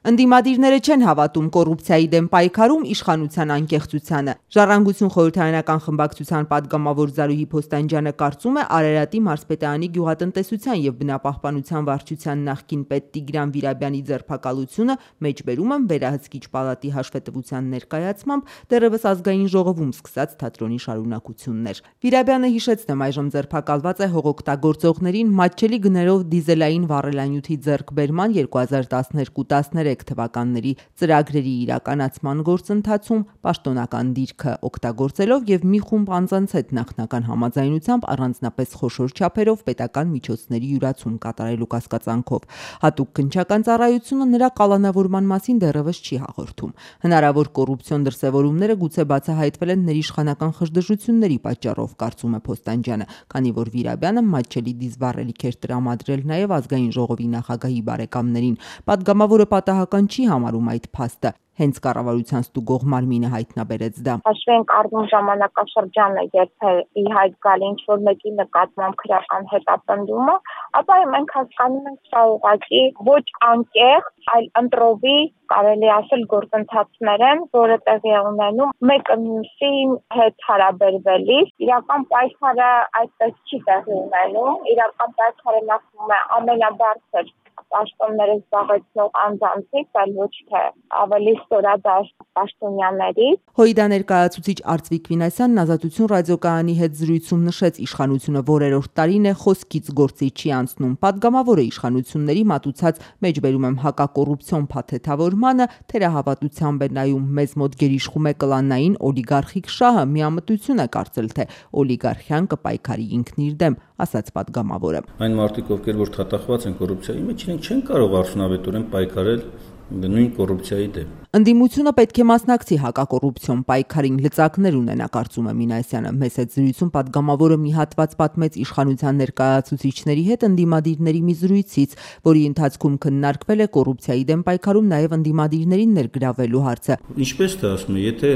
Ընդդիմադիրները չեն հավատում կոռուպցիայի դեմ պայքարում իշխանության անկեղծությանը։ Ժառանգություն խորհրդարանական խմբակցության պատգամավոր Զարուհի Փոստանջյանը կարծում է Արարատի մարզպետարանի գյուղատնտեսության եւ բնապահպանության վարչության նախկին պետ Տիգրան Վիրաբյանի ձերբակալությունը մեջբերում են վերահսկիչ պալատի հաշվետվության ներկայացմամբ դեռևս ազգային ժողովում սկսած թատրոնի շարունակություններ։ Վիրաբյանը հիշեցնում այժմ ձերբակալված է հողօգտագործողներին մատչելի գներով դիզելային վառելանյութի ձեռքբերման 2012-13 թվականների ծրագրերի իրականացման գործընթացում պաշտոնական դիրքը օգտագործելով եւ մի խումբ անձանց հետ նախնական համաձայնությամբ առանձնապես խոշոր չափերով պետական միջոցների յուրացում կատարելու կասկածանքով։ Հատուկ քննչական ծառայությունը նրա կալանավորման մասին դեռևս չի հաղորդում։ Հնարավոր կոռուպցիոն դրսևորումները գուցե բացահայտվել են ներիշխանական խժդժությունների պատճառով, կարծում է Փոստանջյանը, քանի որ Վիրաբյանը մատչելի դիզվառելիք էր տրամադրել նաեւ ազգային ժողովի նախագահի բարեկամներին։ Պատգամավորը պատահական չի համարում այդ փաստը, հենց կառավարության ստուգող մարմինը հայտնաբերեց դա։ Հաշվի ենք առնում ժամանակաշրջանը, երբ ի հայտ գալի ինչ-որ մեկի նկատմամբ քրեական հետապնդումը, ապա մենք հասկանում ենք սա ուղղակի ոչ անկեղծ, այլ ընտրովի, կարելի ասել, գործընթացներ են, որը տեղի է ունենում մեկը մյուսի հետ հարաբերվելիս։ Իրական պայքարը այդպես չի տեղի ունենում, իրական պայքարը նախվում է ամենաբարձր պաշտոնները զբաղեցնող անձանցից, այլ ոչ թե ավելի ստորադաշտ պաշտոնյաներից։ ՀՅԴ ներկայացուցիչ Արծվիկ Վինասյանն Ազատություն ռադիոկայանի հետ զրույցում նշեց, իշխանությունը որերորդ տարին է խոսքից գործի չի անցնում։ Պատգամավորը իշխանությունների մատուցած մեջբերում եմ հակակոռուպցիոն փաթեթավորմանը թերահավատությամբ է նայում, մեզ մոտ գերիշխում է կլանային օլիգարխիկ շահը, միամտություն է կարծել, թե օլիգարխիան կպայքարի ինքն իր դեմ, ասաց պատգամավորը։ Այն մարդիկ, ովքեր որ թաթախված են կոռուպցիայի մեջ, իրենք չեն կարող արդյունավետորեն պայքարել նույն կոռուպցիայի դեմ։ Ընդդիմությունը պետք է մասնակցի հակակոռուպցիոն պայքարին, լծակներ ունենա, կարծում է Մինասյանը։ Մեծ այդ զրույցում պատգամավորը մի հատված պատմեց իշխանության ներկայացուցիչների հետ ընդդիմադիրների մի զրույցից, որի ընթացքում քննարկվել է կոռուպցիայի դեմ պայքարում նաև ընդդիմադիրներին ներգրավելու հարցը։ Ինչպես թե ասում է, եթե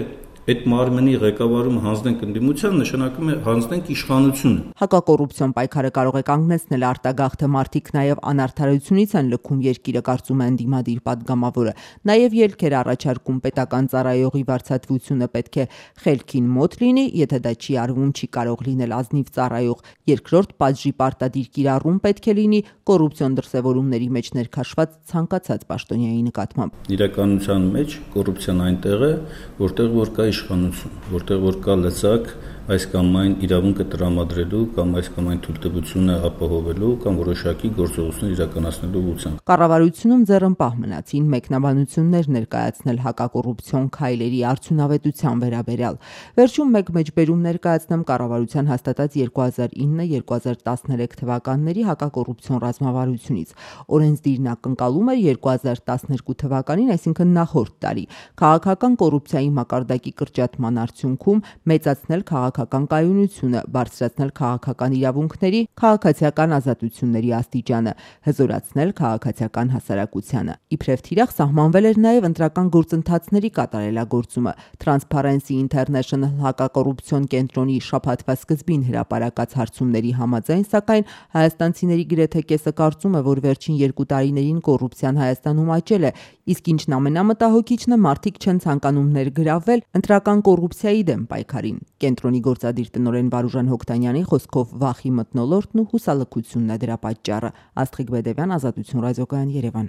այդ մարմնի ղեկավարումը հանձնենք ընդդիմության, նշանակում է հանձնենք իշխանությունը։ Հակակոռուպցիոն պայքարը կարող է կանգնեցնել արտագաղթը, մարդիկ նաև անարդարությունից են լքում երկիրը, կարծում է ընդդիմադիր պատգամավորը։ Նաև ելքեր առաջարկում պետական ծառայողի վարձատրությունը պետք է խելքին մոտ լինի, եթե դա չի արվում, չի կարող լինել ազնիվ ծառայող։ Երկրորդ պատժի պարտադիր կիրառում պետք է լինի կոռուպցիոն դրսևորումների մեջ ներքաշված ցանկացած պաշտոնյայի նկատմամբ։ Իրականության մեջ կոռուպցիան այնտեղ է, որտեղ որ կա իշխանություն, որտեղ որ կա լծակ այս կամ այն իրավունքը տրամադրելու կամ այս կամ այն թույլտվությունը ապահովելու կամ որոշակի գործողություններ իրականացնելու ուղղությամբ։ Կառավարությունում ձեռնպահ մնացին մեկնաբանություններ ներկայացնել հակակոռուպցիոն քայլերի արդյունավետության վերաբերյալ։ Վերջում մեկ մեջբերում ներկայացնեմ կառավարության հաստատած 2009-2013 թվականների հակակոռուպցիոն ռազմավարությունից։ Օրենսդիրն ակնկալում էր 2012 թվականին, այսինքն նախորդ տարի, քաղաքական կոռուպցիայի մակարդակի կրճատման արդյունքում մեծացնել քաղաքական կայունությունը, բարձրացնել քաղաքական իրավունքների, քաղաքացիական ազատությունների աստիճանը, հզորացնել քաղաքացիական հասարակությանը։ Իբրև թիրախ սահմանվել էր նաև ընտրական գործընթացների կատարելագործումը։ Transparency International հակակոռուպցիոն կենտրոնի շաբաթվա սկզբին հրապարակած հարցումների համաձայն, սակայն հայաստանցիների գրեթե կեսը կարծում է, որ վերջին 2 տարիներին կոռուպցիան Հայաստանում աճել է, իսկ ինչն ամենամտահոգիչն է, մարդիկ չեն ցանկանում ներգրավվել ընտրական կոռուպցիայի դեմ պայքարին։ Կենտրոնի գործադիր տնօրեն Վարուժան Հոկտանյանի խոսքով վախի մթնոլորտն ու հուսալքությունն է դրա պատճառը։ Աստղիկ Բեդևյան, Ազատություն ռադիոկայան, Երևան։